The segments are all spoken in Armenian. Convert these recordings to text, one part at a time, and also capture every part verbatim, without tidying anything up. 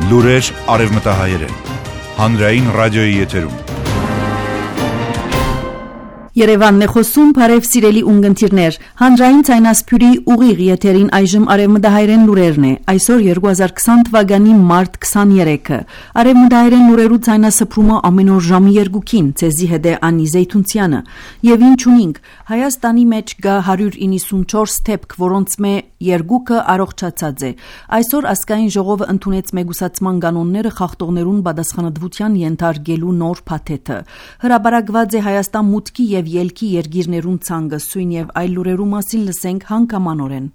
Լուրեր արևմտահայերեն։ Հանրային ռադիոյի եթերում։ Երևանն է խոսում, բարև սիրելի ունգընտիրներ, հանրային ցայնասփյուրի ուղիղ եթերին այժմ արևմտահայերեն լուրերն է, այսօր երկու հազար քսան թվականի մարտ քսաներեքը, արևմտահայերեն լուրերու ցայնասփրումը ամեն օր ժամի երկուքին, ցեզի հետ է Անի Զեյթունցյանը, եւ ինչ ունինք, Հայաստանի մեջ գա հարյուր իննսունչորս թեփք, որոնց մե երկուքը առողջացած է, այսօր ազգային ժողովը ընդունեց մեգուսացման կանոնները խախտողներուն պատասխանատվության ենթարկելու նոր փաթեթը, հրաբարակված է Հայաստան մուտքի եւ ելքի երգիրներուն ցանկը սույն եւ այլ լուրերու մասին լսենք հանգամանորեն։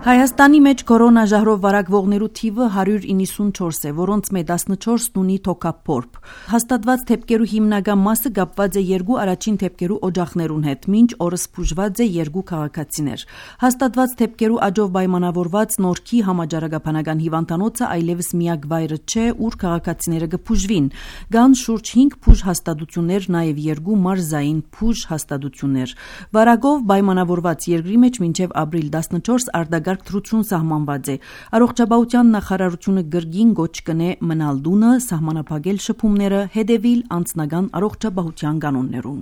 Հայաստանի մեջ կորոնաժահրով վարակվողներու թիվը հարյուր իննսունչորս է, որոնց մե տասնչորսն ունի թոքափորբ։ Հաստատված թեփքերու հիմնական մասը կապված է երկու առաջին թեփքերու օջախներուն հետ, մինչ օրս բուժված է երկու քաղաքացիներ։ Հաստատված թեփքերու աջով պայմանավորված Նորքի համաճարակաբանական հիվանդանոցը այլևս միակ վայրը չէ, ուր քաղաքացիները կբուժվին։ Կան շուրջ հինգ բուժ հաստատություններ, նաև երկու մարզային բուժ հաստատություններ։ Վարակով պայմանավորված երկրի մեջ մինչև ապրիլ տասնչորս արտագ Թրություն սահմանված է։ Առողջապահության նախարարությունը գրգին գոչ կնե մնալ դունը, սահմանափակել շփումները, հետևիլ անձնական առողջապահության կանոններուն։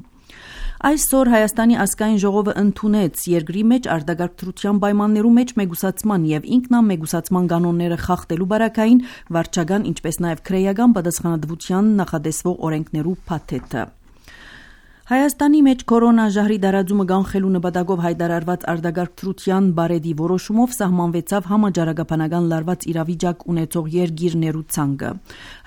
Այսօր Հայաստանի ազգային ժողովը ընդունեց երկրի մեջ արտագաղթության պայմաններու մեջ մեգուսացման եւ ինքնամեգուսացման կանոնները խախտելու բարակային վարչական, ինչպես նաեւ քրեական պատասխանատվության նախադեсվող օրենքներու փաթեթը։ Հայաստանի մեջ կորոնաժահրի դարաձումը կանխելու նպատակով հայտարարված արտագաղթության բարեդի որոշումով սահմանվեցավ համաճարակաբանական լարված իրավիճակ ունեցող երկիրներու ցանկը։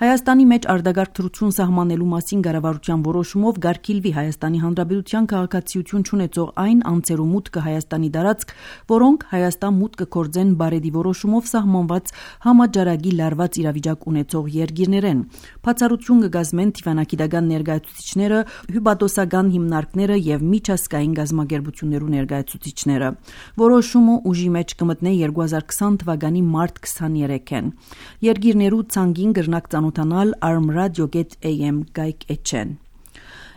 Հայաստանի մեջ արտագաղթություն սահմանելու մասին կառավարության որոշումով գարկիլվի Հայաստանի Հանրապետության քաղաքացիություն ունեցող այն անձերու մուտքը Հայաստանի դարածք, որոնք Հայաստան մուտք կգործեն բարեդի որոշումով սահմանված համաճարակի լարված իրավիճակ ունեցող երկիրներեն։ Բացառություն կգազմեն դիվանագիտական ներկայացուցիչները, հյուպատոսական հիմնարկները եւ միջազգային գազམ་ագերբություններու ներկայացուցիչները։ Որոշումը ուժի մեջ կմտնե երկու հազար քսան թվականի մարտ քսաներեքին։ Երկիրներու ցանկին կրնակ ծանոթանալ armradio dot a m գայք էչեն։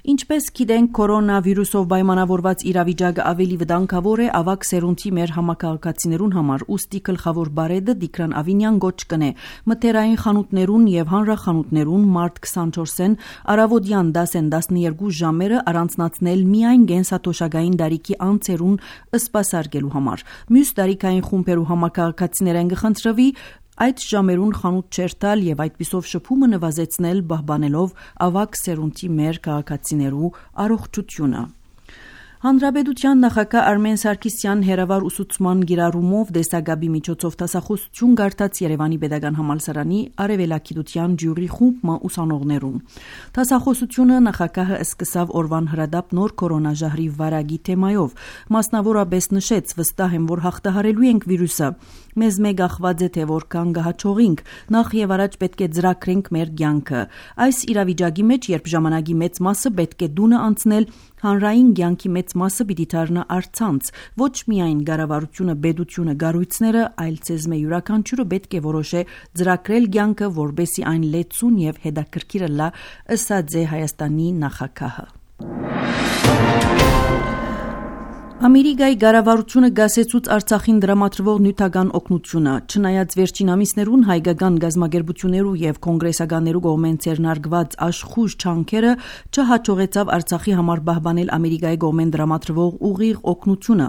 Ինչպես գիտենք, կորոնավիրուսով պայմանավորված իրավիճակը ավելի վտանգավոր է ավագ սերունդի մեր համակարգացիներուն համար, ուստի գլխավոր բարեդը Տիգրան Ավինյան գոչ կնե մթերային խանութներուն եւ հանրախանութներուն մարտ քսանչորսին առավոտյան դասեն տասներկու ժամերը առանձնացնել միայն գենսաթոշակային դարիքի անձերուն սպասարկելու համար։ Մյուս դարիքային խումբերու համակարգացիներեն կխնդրվի այդ ժամերուն խանութ չերտալ եւ այդպիսով շփումը նվազեցնել պահպանելով ավագ սերունդի մեր քաղաքացիներու առողջությունը։ Հանրապետության նախագահ Արմեն Սարգսյան հերավար ուսուցման գիրառումով դեսագաբի միջոցով դասախոսություն գարտած Երևանի Պետական Համալսարանի արևելագիտության ջյուրի խումբ ուսանողներուն։ Դասախոսությունը նախագահը սկսավ օրվան հրադապ նոր կորոնաժահրի վարակի թեմայով, մասնավորապես նշեց վստահ եմ, որ հաղթահարելու ենք վիրուսը։ Մեզ մեկ ախված է թե որքան կհաջողենք, նախ եւ առաջ պետք է ծրագրենք մեր կյանքը։ Այս իրավիճակի մեջ, երբ ժամանակի մեծ մասը պետք է դունը անցնել, հանրային կյանքի մեծ մասը պիտի դառնա առցանց, ոչ միայն կառավարությունը, պետությունը, կառույցները, այլ ցեզմե յուրաքանչյուրը պետք է որոշե ծրագրել կյանքը, որբեսի այն լեցուն եւ հետաքրքիր լա, ըսած է Հայաստանի նախագահը։ Ամերիկայի կառավարությունը գասեցուց Արցախին դրամատրվող նյութական օգնությունը, չնայած վերջին ամիսներուն հայկական գազམ་ագերբություններու եւ կոնգրեսականներու կողմեն ցերնարգված աշխուժ չանքերը չհաջողեցավ Արցախի համար պահպանել Ամերիկայի կողմեն դրամատրվող ուղիղ օգնությունը։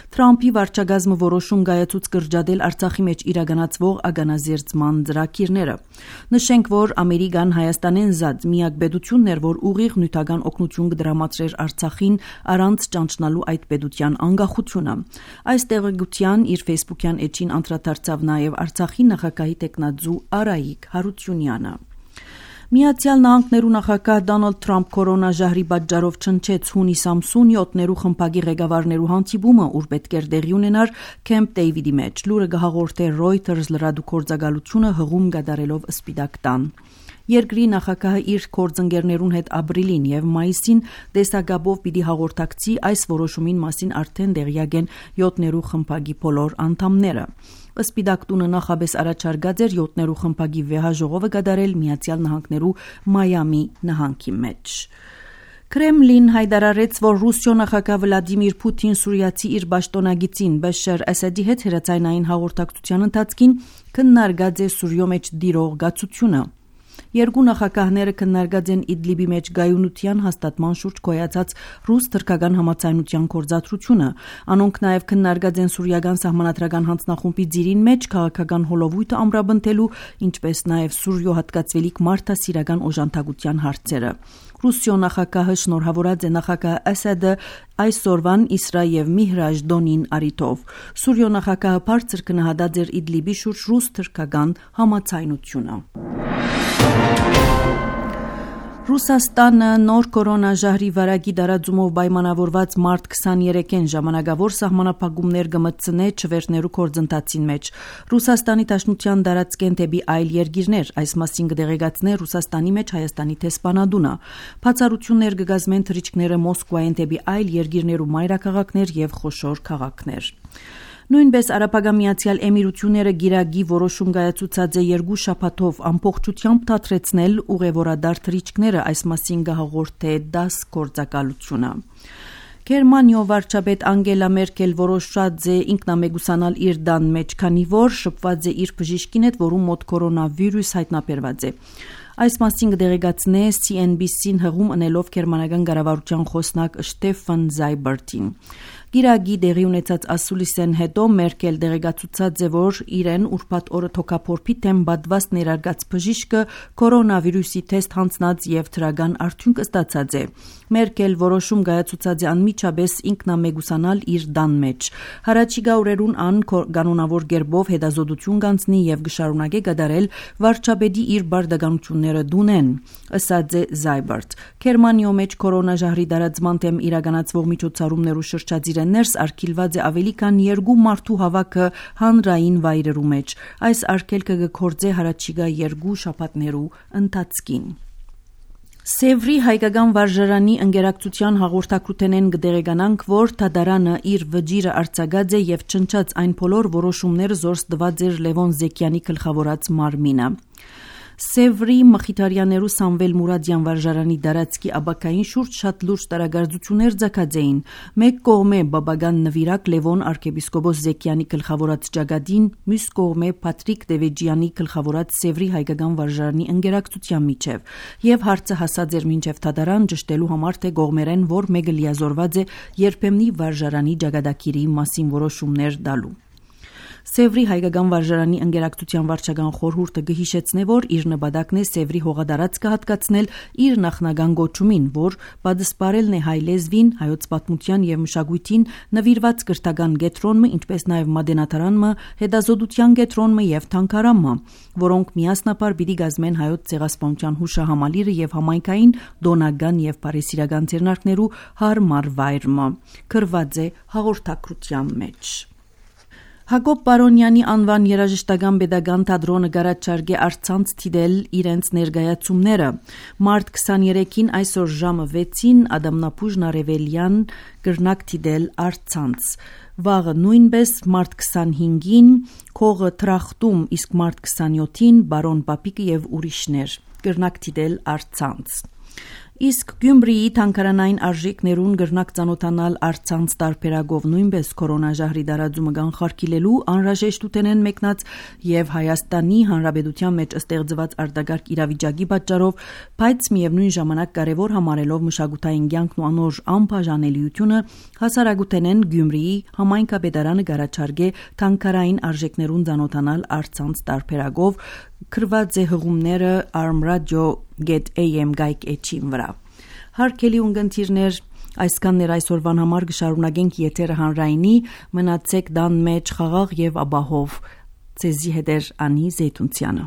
Թրամփի վարչագազմը որոշում կայացուց կրճատել Արցախի մեջ իրականացվող ագանազերծման ծրագիրները։ Նշենք, որ Ամերիկան Հայաստանեն զատ միակ պետությունն էր, որ ուղիղ նյութական օգնություն կդրամատրեր Արցախին առանց ճանչնալու այդ պետության անկախությունը։ Այս տեղեկության իր Facebook-յան էջին անդրադարձավ նաև Արցախի նախագահի տեխնաձու Արայիկ Հարությունյանը։ Միացյալ Նահանգներու նախագահ Դոնալդ Թրամփ կորոնաժահրի պատճառով չնչեց հունիս ամսուն յոթներու խմբագի ղեկավարներու հանդիպումը, ուր պետք էր տեղի ունենար Քեմփ Դեյվիդի մեջ։ Լուրը կհաղորդե Reuters լրատվամիջոցը հղում կատարելով Սպիտակ տան։ Երկրի նախագահը իր գործընկերներուն հետ ապրիլին եւ մայիսին դեսագաբով պիտի հաղորդակցի այս որոշումին մասին արդեն տեղյակ են յոթներու խմբագի բոլոր անդամները։ Սպիտակ տունը նախաբես առաջարկած էր յոթներու խմբագի վեհաժողովը կատարել Միացյալ Նահանգներու Մայամի նահանգի մեջ։ Կրեմլին հայտարարեց, որ Ռուսիո նախագահ Վլադիմիր Պուտին Սուրիացի իր պաշտոնագծին Բաշար Ասադի հետ հրացանային հաղորդակցության ընթացքին քննարկած է Սուրիո մեջ տիրող գացությունը։ Երկու նախագահները քննարկած են Իդլիբի մեջ գայունության հաստատման շուրջ գոյացած ռուս-թրքական համացայնության գործադրությունը։ Անոնք նաև քննարկած են սուրիական սահմանադրական հանձնախումբի ձիրին մեջ քաղաքական հոլովույթը ամրապնդելու, ինչպես նաև Սուրիո հատկացվելիք մարդասիրական օժանդակության հարցերը։ Ռուսիո նախագահը շնորհավորած է նախագահ Ասադը այսօրվան Իսրա եւ Միհրաժ Դոնին արիթով։ Սուրիո նախագահը բարձր գնահատած էր Իդլիբի շուրջ ռուս-թրքական համացայնությունը։ Ռուսաստանը նոր կորոնաժահրի վարակի դարաձումով պայմանավորված մարտ քսաներեքին ժամանակավոր սահմանափակումներ կմտցնե չվերթներու գործընթացին մեջ։ Ռուսաստանի Դաշնության դարածքեն դեպի այլ երկիրներ, այս մասին կդեղեկացնե Ռուսաստանի մեջ Հայաստանի տեսփանադունը։ Բացառություններ կգազմեն թռիչքները Մոսկվայեն դեպի այլ երկիրներ ու մայրաքաղաքներ եւ խոշոր քաղաքներ։ Նույնպես Արաբական Միացյալ Էմիրությունները գիրագի որոշում կայացուցած է երկու շաբաթով ամբողջությամբ դադրեցնել ուղևորադար թռիչքները, այս մասին կհաղորդե դաս գործակալությունը։ Գերմանիո վարչապետ Անգելա Մերկել որոշած է ինքնամեկուսանալ իր դան մեջ, քանի որ շփված է իր բժիշկին հետ, որում մոտ կորոնավիրուս հայտնաբերված է։ Այս մասին կդեղեկացնե C N B C-ին հղում ընելով գերմանական կառավարության խոսնակ Շտեֆան Զայբերտին։ Գիրագի դեղի ունեցած ասուլիսեն հետո Մերկել դեղեկացուցած է, որ իրեն ուրբաթ օրը թոքափորփի թեմ բադված ներարգած բժիշկը կորոնավիրուսի թեստ հանձնած եւ դրական արդյունք ստացած է։ Մերկել որոշում կայացուցած է անմիջապես ինքնամեկուսանալ իր դան մեջ։ Հարաճիգա օրերուն ան կանոնավոր գերբով հետազոտություն կանցնի եւ կշարունակե կատարել վարչապետի իր բարդականությունները դունեն, ըսած է Զայբերտ։ Գերմանիո մեջ կորոնաժահրի դարածման թեմ իրականացվող միջոցառումներու շրջածիր ներս արգելված է ավելի քան երկու մարդու հավաքը հանրային վայրերու մեջ։ Այս արգելքը կգործե հարաճիգա երկու շաբաթներու ընթացքին։ Սևրի հայկական վարժարանի ընկերակցության հաղորդակցութենեն կդեղեկանանք, որ Թադարանը իր վճիրը արձակած է եւ չնչած այն բոլոր որոշումները զորս տված էր Լևոն Զեկյանի գլխավորած մարմինը։ Սևրի Մխիթարյաներու Սամվել Մուրադյան վարժարանի դարածքի աբակային շուրջ շատ լուրջ տարագարձություններ ձգած էին։ Մեկ կողմե բաբական նվիրակ Լևոն arczepiskopos Զեկյանի գլխավորած ճակատին, մյուս կողմե Պատրիկ Դևեջյանի գլխավորած Սևրի հայկական վարժարանի ընկերակցության միջև, եւ հարցը հասած էր մինչև Թադարան ճշտելու համար, թե կողմերեն որ մեկը լիազորված է երբեմնի վարժարանի ճակատագիրի մասին որոշումներ տալու։ Սևրի հայկական վարժարանի ընկերակցության վարչական խորհուրդը կհիշեցնե, որ իր նպատակն է Սևրի հողադարածքը հատկացնել իր նախնական գոչումին, որ պատասպարելն է հայ լեզվին, հայոց պատմության եւ մշակույթին նվիրված կրթական կենտրոնը, ինչպես նաեւ մատենադարանը, հետազոտության կենտրոնը եւ թանգարանը, որոնք միասնապար պիտի գազմեն հայոց ցեղասպանության հուշահամալիրը եւ համայնքային, դոնական եւ բարեսիրական ձեռնարկներու հարմար վայրը։ Գրված է հաղորդակցության մեջ։ Հակոբ Պարոնյանի անվան երաժշտական պետական թատրոնը գարաչարգե արցանց թիդել իրենց ներկայացումները։ Մարտ քսաներեքին այսօր ժամը վեցին Ադամնապուժն Արևելյան կրնակ թիդել արցանց։ Վաղը նույնպես մարտ քսանհինգին Քողը Տրախտում, իսկ մարտ քսանյոթին Բարոն Պապիկը եւ ուրիշներ կրնակ թիդել արցանց։ Իսկ Գյումրիի թանգարանային արժեքներուն գրնակ ծանոթանալ արցանց տարբերակով նույնպես կորոնաժահրի դարաձումը կանխարգելելու անհրաժեշտութենեն մեկնած եւ Հայաստանի Հանրապետության մեջ ստեղծված արտագարկ իրավիճակի պատճառով, բայց միևնույն ժամանակ կարևոր համարելով մշակութային կյանքն ու անոր անբաժանելիությունը, հասարակութենեն Գյումրիի համայնքապետարանը գարաչարգե թանգարային արժեքներուն ծանոթանալ արցանց տարբերակով գրված է հղումները armradio get am գայք էջին վրա։ Հարգելի ունգընտիրներ, այսքաններ այսօրվան համար կշարունակենք եթերը հանրայինի, մնացեք դան մեջ խաղաղ եւ ապահով։ Ձեզի հետ է Անի Զեյթունցյանը։